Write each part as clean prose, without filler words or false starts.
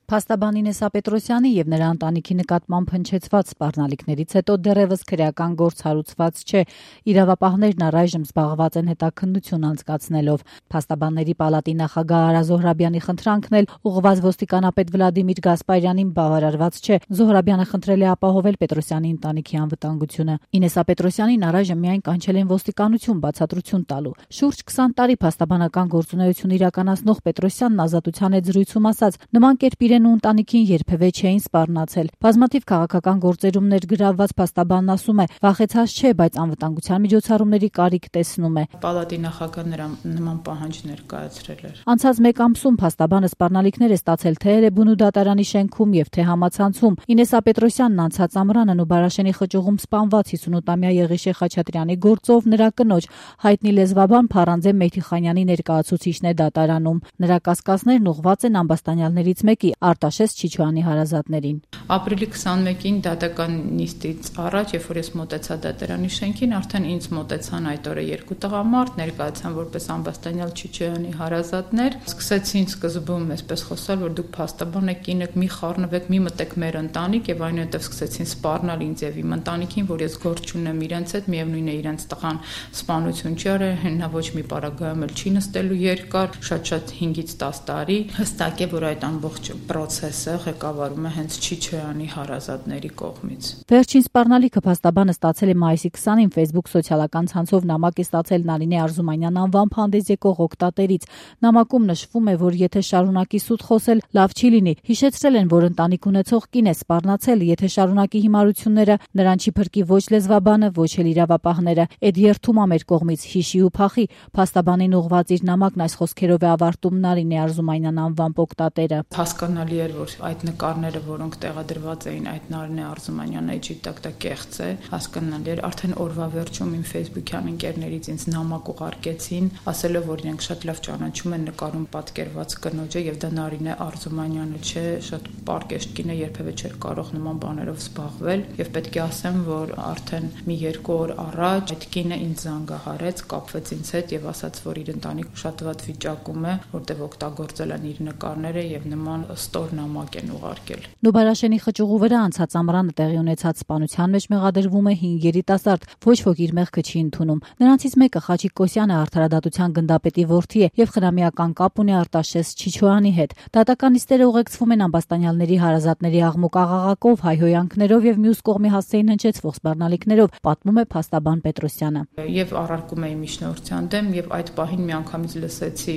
Փաստաբան Ինեսա Պետրոսյանի եւ նրա ընտանիքի նկատմամբ հնչեցված սպառնալիքներից հետո դեռևս քրեական գործ հարուցված չէ։ Իրավապահներն առայժմ զբաղված են հետաքննություն անցկացնելով։ Փաստաբանների պալատի նախագահ Արա Զոհրաբյանի խնդրանքն էլ ուղղված ոստիկանապետ Վլադիմիր Գասպարյանին բավարարված չէ։ Զոհրաբյանը խնդրել է ապահովել Պետրոսյանի ընտանիքի անվտանգությունը։ Ինեսա Պետրոսյանին առայժմ միայն կանչել են ոստիկանություն բացատրություն տալու։ Շուրջ 20 տարի փաստաբանական գործունեություն իրականացնող Պետրոսյանն ազատության հետ զրույցում ասաց, նման կերպ իրեն ու ընտանիքին երբևէ չէին սպառնացել։ Բազմաթիվ քաղաքական գործերում ներգրավված փաստաբանն ասում է, վախեցած չէ, բայց անվտանգության միջոցառումների կարիք տեսնում է։ Պալատի նախագահը նման պահանջ ներկայացրել էր։ Անցած մեկ ամսում փաստաբանը սպառնալիքներ է ստացել թե Էրեբունու դատարանի շենքում եւ թե համացանցում։ Ինեսա Պետրոսյանն անցած ամռանն ու Բարաշենի խճուղում սպանված 58-ամյա Եղիշե Խաչատրյանի գործով նրա կնոջ հայտնի լեզվաբան Փարանձե Մեհդիխանյանի ներկայացուցիչն է դատարանում։ Նրա կասկածներն ուղղված են ամբաստանյալներից մեկի Արտաշես Չիչոյանի հարազատներին։ Ապրիլի 21-ին դատական նիստից առաջ, երբ որ ես մոտեցա դատարանի շենքին, արդեն ինձ մոտեցան այդ օրը երկու տղամարդ, ներկայացան որպես ամբաստանյալ Չիչոյանի հարազատներ, սկսեցին սկզբում այսպես խոսալ, որ դուք փաստաբան եք, կին եք, մի խառնվեք, մի մտեք մեր ընտանիք, եւ այնուհետև սկսեցին սպառնալ ինձ եւ իմ ընտանիքին, որ ես գործ չունեմ իրենց հետ, միևնույն է իրենց տղան սպանություն չի արել, նա ոչ մի պարագայում էլ չի նստելու երկար, շատ 5-ից 10 տարի, հստակ է, որ այդ ամբողջ պրոցեսը ղեկավարում է հենց Չիչոյանի հարազատների կողմից։ Վերջին սպառնալիքը փաստաբանը ստացել է մայիսի 20-ին Facebook սոցիալական ցանցով նամակ է ստացել Նարինե Արզումանյան անվամբ հանդես եկող օգտատերից։ Նամակում նշվում է, որ եթե շարունակի սուտ խոսել, լավ չի լինի։ Հիշեցրել են, որ ընտանիք ունեցող կին է սպառնացել, եթե շարունակի հիմարությունները, նրան չի փրկի ոչ լեզվաբանը, ոչ էլ իրավապահները։ Այդ երթում ամեր կողմից հիշի ու փախի։ Փաստաբանին ուղղված իր նամակն այս խոսքերով է ավարտում Նարինե Արզումանյան անվամբ օգտատերը։ Հասկանալի էր, որ այդ նկարները, որոնք տեղադրված էին այդ Նարինե Արզումանյան էջի տակ դա կեղծ է, հասկանալի էր, արդեն օրվա վերջում իմ Facebook-յան ընկերներից ինձ նամակ ուղարկեցին, ասելով, որ իրենք շատ լավ ճանաչում են նկարում պատկերված կնոջը եւ դա Նարինե Արզումանյանը չէ, շատ պարկեշտ կին է, երբևէ չէր կարող նման բաներով զբաղվել եւ պետք է ասեմ, որ արդեն մի 2 օր առաջ այդ կինը ինձ զանգահարեց, կապվեց ինձ հետ եւ ասաց, որ իր ընտանիքը շատ վատ վիճակում է, որտեղ օգտագործել են իր նկարները եւ նման ստոր նամակ են ուղարկել։ Նուբարաշենի խճուղու վրա անցած ամռանը տեղի ունեցած սպանության մեջ մեղադրվում է 5 երիտասարդ, ոչ ոք իր մեղքը չի ընդունում։ Նրանցից մեկը Խաչիկ Կոսյանը արդարադատության գնդապետի որդի է եւ խնամիական կապ ունի Արտաշես Չիչոյանի հետ։ Դատական նիստերը ուղեկցվում են ամբաստանյալների հարազատների աղմուկ աղաղակով, հայհոյանքներով եւ մյուս կողմի հասցեին հնչեցվող սպառնալիքներով, պատմում է փաստաբան Պետրոսյանը։ Եվ առարկում էի միջնորդության դեմ եւ այդ պահին միանգամից լսեցի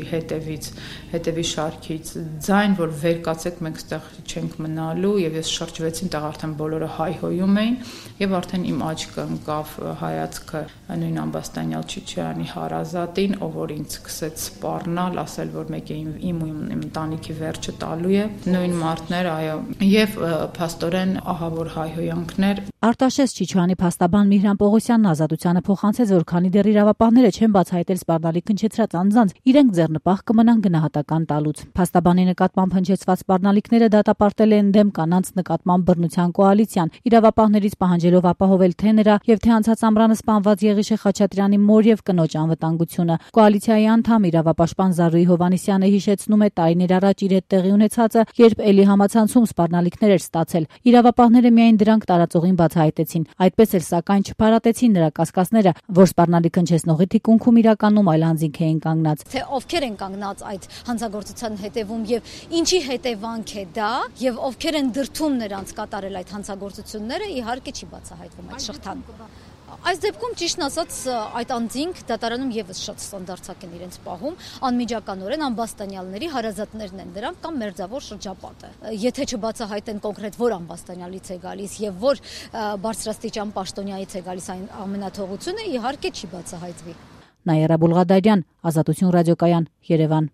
հետևի շարքից ձայն, որ վեր կացեք, մենք ստեղ չենք մնալու եւ ես շրջվեցին, տեղ արդեն բոլորը հայհոյում էին եւ արդեն իմ աչքը ընկավ հայացքը նույն ամբաստանյալ Չիչոյանի հարազատին, ով որ ինձ սկսեց սպառնալ, ասել, որ մեկը իմ ընտանիքի վերջը տալու է, նույն մարդներ, այո, եւ փաստորեն ահավոր հայհոյանքներ։ Արտաշես Չիչոյանի փաստաբան Միհրան Պողոսյանն ազատությանը փոխանցեց, որ քանի դեռ իրավապահները չեն բացահայտել սպառնալիք հնչեցրած անձանց, իրենք ձեռնպահ կմնան գնահատական տալուց։ Փաստաբանի նկատմամբ հնչեցված սպառնալիքները դատապարտել են դեմ կանանց նկատմամբ բռնության կոալիցիան, իրավապահներից պահանջելով ապահովել թե նրա եւ թե անցած ամռանը սպանված Եղիշե Խաչատրյանի մոր եւ կնոջ անվտանգությունը։ Կոալիցիայի անդամ իրավապաշտպան Զարուհի Հովհաննիսյանը հիշեցնում է տարիներ առաջ իր հետ տեղի ունեցածը, երբ էլի համացանցում սպառնալիքներ էր ստացել։ Իրավապահները միայն դրանք տարածողին բացահայտեցին։ Այդպես էլ սակայն չփարատեցին նրա կասկածները, որ սպառնալիք հնչեցնողի թիկունքում իրականում այլ անձինք էին կանգնած։ Թե ովքեր են կանգնած այդ հանցագործության հետևում եւ ինչի հետևանք է դա եւ ովքեր են դրդում նրանց կատարել այդ հանցագործությունները, իհարկե չի բացահայտվում այդ շղթան։ Այս դեպքում ճիշտն ասած այդ անձինք դատարանում եւս շատ ստանդարտակ են իրենց պահում, անմիջականորեն ամբաստանյալների հարազատներն են դրանք կամ մերձավոր շրջապատը։ Եթե չբացահայտեն կոնկրետ որ ամբաստանյալից է գալիս եւ որ բարձրաստիճան պաշտոնյայից է գալիս այն ամենաթողությունը, իհարկե չի բացահայտվի։ Նաիրա Բուլղադարյան, Ազատություն ռադիոկայան, Երևան։